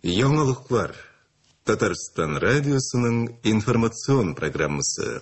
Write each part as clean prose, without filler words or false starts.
Яңалыклар. Татарстан радиосының информацион программасы.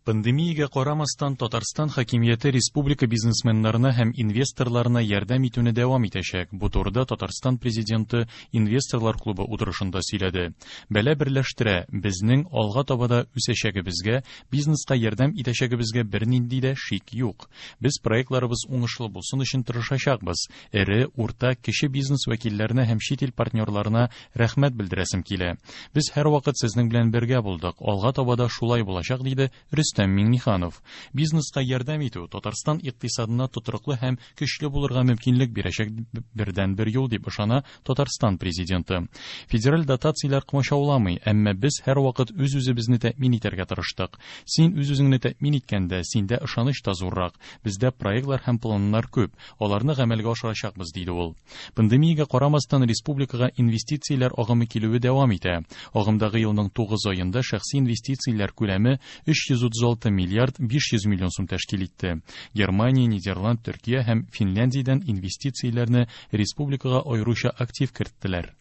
Пандемиягә карамастан, Татарстан хакимияте республика бизнесменнарына һәм инвесторларына ярдәм итүне дәвам итәчәк. Бу турыда Татарстан Президенты инвесторлар клубы утырышында сөйләде. Бәла берләштерә, безнең алга таба да үсәчәгебезгә, бизнеска ярдәм итәчәгебезгә бернинди дә шик юк. Без проектларыбыз уңышлы булсын өчен тырышачакбыз. Эре, урта, кече бизнес вәкилләренә һәм чит ил партнерларына рәхмәт белдерәсем килә. Без һәрвакыт сезнең белән бергә булдык, алга таба да шулай булачак, диде Рөстәм Миңнеханов. Бизнеска ярдәм итү Татарстан икътисадына тотрыклы һәм көчле булырга мөмкинлек бирәчәк бердәнбер юл, дип ышана Татарстан Президенты. Федераль дотацияләр комачауламый, әмма без һәрвакыт үз-үзебезне тәэмин итәргә тырыштык. Син үз-үзеңне тәэмин иткәндә, синдә ышаныч та зуррак. Бездә проектлар һәм планнар күп, аларны гамәлгә ашырачакбыз, диде ул. Пандемиягә карамастан, республикага инвестицияләр агымы килүе дәвам итә. Агымдагы елның 9 аенда шәхси инвестицияләр күләме 336 миллиард 500 миллион сум тәшкил итте. Германия, Нидерланд, Төркия һәм Финляндиядән инвестицияләрне республикага аеруча актив керттеләр.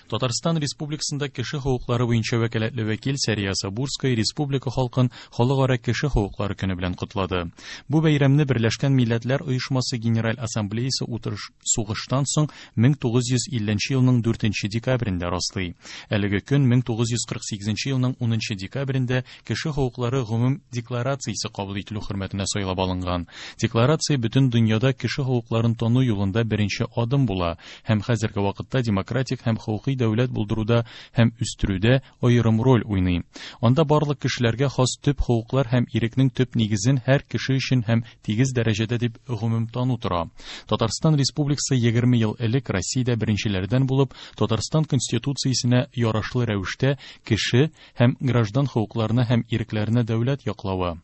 Татарстан Республикасында кеше хокуклары буенча вәкаләтле вәкил Сәрия Сабурская республика халкын Халыкара кеше хокуклары көне белән котлады. Бу бәйрәмне Берләшкән Милләтләр Оешмасы Генераль Ассамблеясы утырыш сугыштан соң 1950 елның 4 декабрендә раслый. Әлеге көн 1948 елның 10 декабрендә Кеше хокуклары гомум декларациясе кабул ителү хөрмәтенә сайлап алынган. Декларация бөтен дөньяда кеше хокукларын тану юлында беренче адым була һәм хәзерге вакытта демократик һәм хокукый дәүләт булдыруда һәм үстерүдә аерым роль уйный. Анда барлык кешеләргә хас төп хокуклар һәм ирекнең төп нигезен һәр кеше өчен һәм тигез дәрәҗәдә дип гомум тану тора. Татарстан Республикасы 20 ел элек Россиядә беренчеләрдән булып Татарстан Конституциясенә ярашлы рәвештә кеше һәм граждан хокукларына һәм ирекләренә дәүләт яклавы,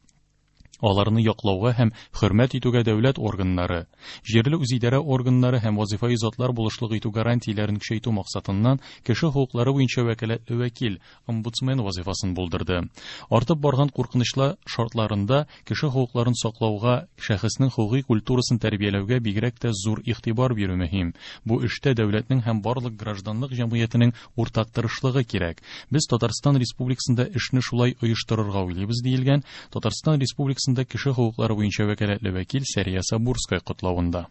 аларны яклауга һәм хөрмәт итүгә дәүләт органнары, җирле үзидарә органнары һәм вазифаи затлар булышлык итү гарантияләрен көчәйтү максатыннан кеше хокуклары буенча вәкаләтле вәкил, омбудсмен вазифасын булдырды. Артып барган куркынычлы шартларында Кеше хокукларын саклауга, шәхеснең хокукый культурасын тәрбияләүгә бигрәк тә зур игътибар бирү мөһим. Бу эштә дәүләтнең һәм барлык гражданлык җәмгыятенең уртак тырышлыгы кирәк. Без Татарстан Республикасында эшне шулай оештырырга уйлыйбыз, диелгән Татарстан Республикасында кеше хокуклары буенча вәкаләтле вәкил Сәрия Сабурская котлавында.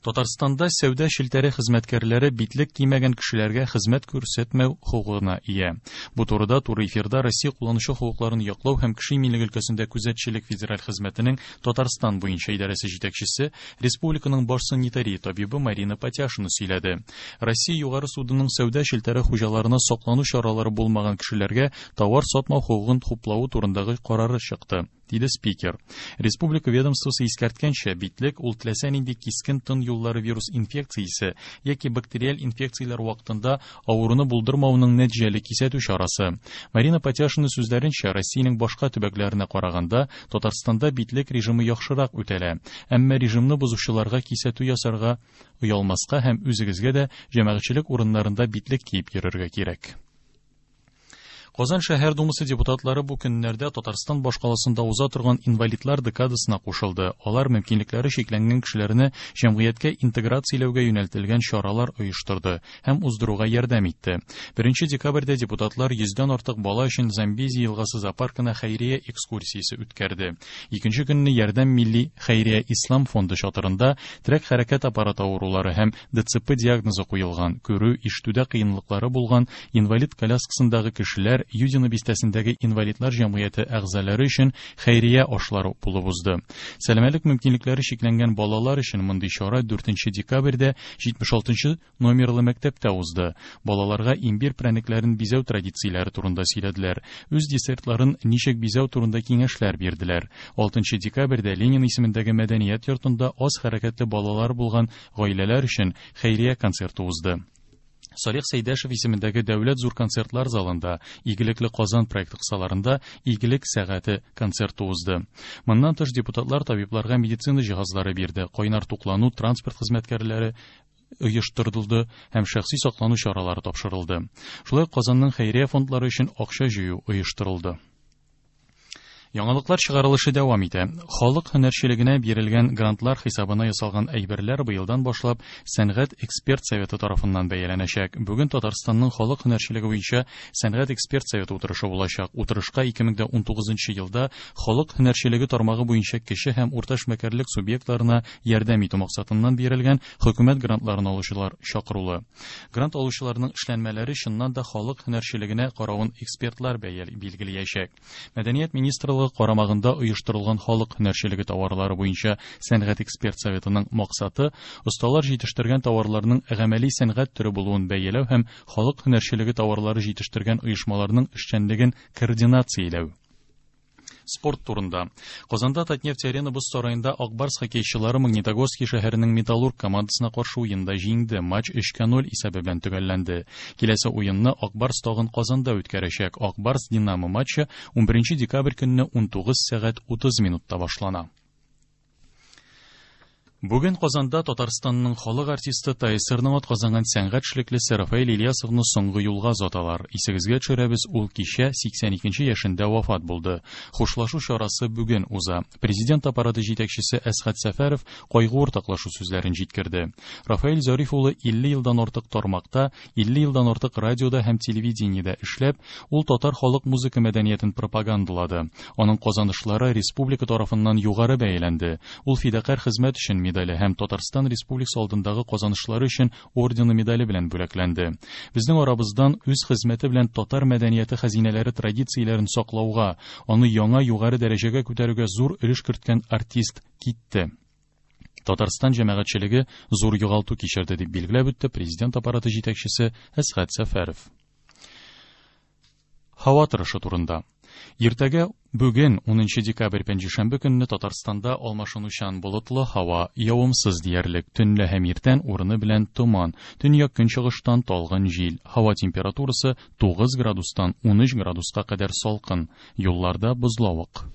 Татарстанда сәүдә челтәре хезмәткәрләре битлек кимәгән кешеләргә хезмәт күрсәтмәү хокукына ия. Бу турыда туры эфирда Россия кулланучы хокукларын яклау һәм кеше иминлеге өлкәсендә күзәтчелек федераль хезмәтенең Татарстан буенча идарәсе җитәкчесе, республиканың баш санитария табибы Марина Патяшина сөйләде. Россия Югары судының сәүдә челтәре хуҗаларына саклану чаралары булмаган кешеләргә товар сатмау хокукын хуплавы турындагы карары чыкты. Диде спикер. Республика ведомствосы искәрткәнчә, битлек ул теләсә нинди кискен тын юллары вирус инфекциясе яки бактериаль инфекцияләр вакытында авыруны булдырмауның нәтиҗәле кисәтү чарасы. Марина Патяшина сүзләренчә, Россиянең башка төбәкләренә караганда, Татарстанда битлек режимы яхшырак үтәлә. Әмма режимны бозучыларга кисәтү ясарга оялмаска һәм үзегезгә дә җәмәгатьчелек урыннарында битлек киеп йөрергә кирәк. Казан шәһәр думасы депутатлары бу көннәрдә Татарстан башкаласында уза торган инвалидлар декадасына кушылды. Алар мөмкинлекләре чикләнгән кешеләрне җәмгыятькә интеграцияләүгә юнәлтелгән чаралар оештырды һәм уздыруга ярдәм итте. 1 декабрьдә депутатлар йөздән артык бала өчен Замбези елгасы зоопаркына хәйрия экскурсиясе үткәрде. Икенче көнне Ярдәм милли хәйрия ислам фонды чатырында терәк-хәрәкәт аппараты авырулары һәм ДЦП диагнозы куелган, күрү, ишетүдә кыенлыклары булган инвалид коляскасындагы кешеләр Юдино бистәсендәге инвалидлар җәмгыяте әгъзалары өчен хәйрия ашлары булып узды. Сәламәтлек мөмкинлекләре чикләнгән балалар өчен мондый чара 4 декабрьдә 76 нчы номерлы мәктәптә узды. Балаларга имбир прәнекләрен бизәү традицияләре турында сөйләделәр, үз десертларын ничек бизәү турында киңәшләр бирделәр. 6 декабрьдә Ленин исемендәге мәдәният йортында аз хәрәкәтле балалар булган гаиләләр өчен хәйрия концерты узды. Салих Сәйдәшев исемендәге Дәүләт зур концертлар залында Игелекле Казан проекты кысаларында Игелек сәгате концерты узды. Моннан тыш депутатлар табибларга медицина җиһазлары бирде, кайнар туклану, транспорт хезмәткәрләре оештырылды һәм шәхси саклану чаралары тапшырылды. Шулай ук Казанның хәйрия фондлары өчен акча җыю оештырылды. Яңалыклар чыгарылышы дәвам итә. Халык һөнәрчелегенә бирелгән грантлар хисабына ясалган әйберләр быелдан башлап Сәнгать эксперт советы тарафыннан бәяләнәчәк. Бүген Татарстанның халык һөнәрчелеге буенча Сәнгать эксперт советы утырышы булачак. Утырышка 2019 елда халык һөнәрчелеге тармагы буенча кече һәм урта эшмәкәрлек субъектларына ярдәм итү максатыннан бирелгән хөкүмәт грантларын алучылар чакырулы. Грант алучыларның эшләнмәләре чыннан да халык һөнәрчелегенә каравын экспертлар билгеләячәк. Мәдәният министрлыгы карамагында оештырылган халык һөнәрчелеге товарлары буенча сәнгать эксперт советының максаты осталар җитештергән товарларның гамәли сәнгать төре булуын бәяләү һәм халык һөнәрчелеге товарлары җитештергән оешмаларның эшчәнлеген координацияләү. Спорт турында. Казанда Татнефть Арена боз сараенда Ак Барс хоккейчылары Магнитогорский шәһәренең Металлург командасына каршы уенда җиңде. Матч 3-0 исәбе белән төгәлләнде. Киләсе уенны Ак Барс тагын Казанда үткәрәчәк. Ак Барс Динамо матчы 11 декабрь көнне 19 сәгать 30 минутта башлана. Бүген Казанда Татарстанның халык артисты ТАССРның атказанган сәнгать эшлеклесе Рафаэль Ильясовны соңгы юлга озаталар. Исегезгә төшерәбез, ул кичә 82 яшендә вафат булды. Хушлашу чарасы бүген уза. Президент аппараты җитәкчесе Әсхәт Сәфәров кайгы уртаклашу сүзләрен җиткерде. Рафаэль Зариф улы 50 елдан артык тармакта, 50 елдан артык радиода һәм телевидениедә эшләп, ул татар халык музыка мәдәниятен пропагандалады. Аның казанышлары республика тарафыннан югары бәяләнде. Ул фидакарь хезмәт өчен медале һәм Татарстан Республикасы алдындагы казанышлары өчен ордены медале белән бүләкләнде. Безнең арабыздан үз хезмәте белән татар мәдәнияте хәзинәләре традицияләрен саклауга, аны яңа югары дәрәҗәгә күтәрүгә зур өлеш керткән артист китте. Татарстан җәмәгатьчелеге зур югалту кичерде, дип билгеләп үтте президент аппараты җитәкчесе Әсхәт Сәфәров. Һава торышы турында. Иртәгә бүген 10 декабрь пәнҗешәмбе көнне Татарстанда алмашынучан болытлы һава, явымсыз диярлек, төнлә һәм иртән урыны белән томан, төньяк көнчыгыштан талгын җил. Һава температурасы 9 градустан 13 градуска кадәр салкын, юлларда бозлавык.